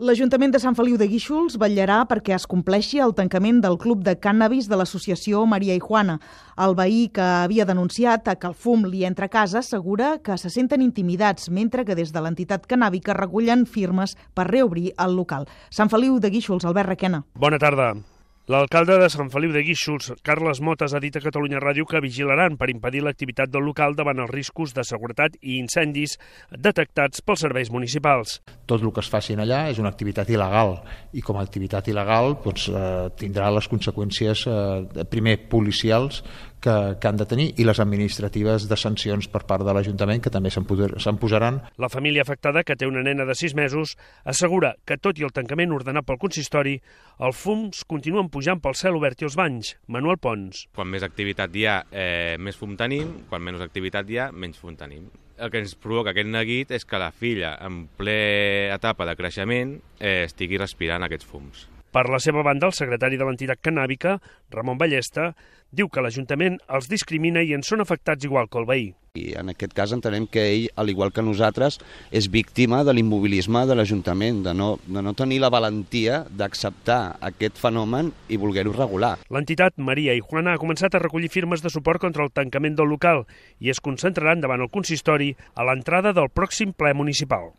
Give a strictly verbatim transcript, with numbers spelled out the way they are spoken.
L'Ajuntament de Sant Feliu de Guíxols vetllarà perquè es compleixi el tancament del club de cànnabis de l'associació Maria i Juana. El veí que havia denunciat que el fum li entra a casa assegura que se senten intimidats, mentre que des de l'entitat cannàbica recullen firmes per reobrir el local. Sant Feliu de Guíxols, Albert Requena. Bona tarda. L'alcalde de Sant Feliu de Guíxols, Carles Motes, ha dit a Catalunya Ràdio que vigilaran per impedir l'activitat del local davant els riscos de seguretat i incendis detectats pels serveis municipals. Tot el que es faci allà és una activitat il·legal i com a activitat il·legal doncs, eh, tindrà les conseqüències eh, primer policials que, que han de tenir i les administratives de sancions per part de l'Ajuntament que també se'n posaran. La família afectada, que té una nena de sis mesos, assegura que tot i el tancament ordenat pel consistori, els fums continuen pujant pel cel obert i els banys. Manuel Pons. Quan més activitat hi ha, eh, més fum tenim, quan menys activitat hi ha, menys fum tenim. El que ens provoca aquest neguit és que la filla, en ple etapa de creixement, eh, estigui respirant aquests fums. Per la seva banda, el secretari de l'entitat cannàbica, Ramon Ballesta, diu que l'Ajuntament els discrimina i en són afectats igual que el veí. I en aquest cas entenem que ell, al igual que nosaltres, és víctima de l'immobilisme de l'Ajuntament, de no, de no tenir la valentia d'acceptar aquest fenomen i voler-ho regular. L'entitat Maria i Juana ha començat a recollir firmes de suport contra el tancament del local i es concentraran davant el consistori a l'entrada del pròxim ple municipal.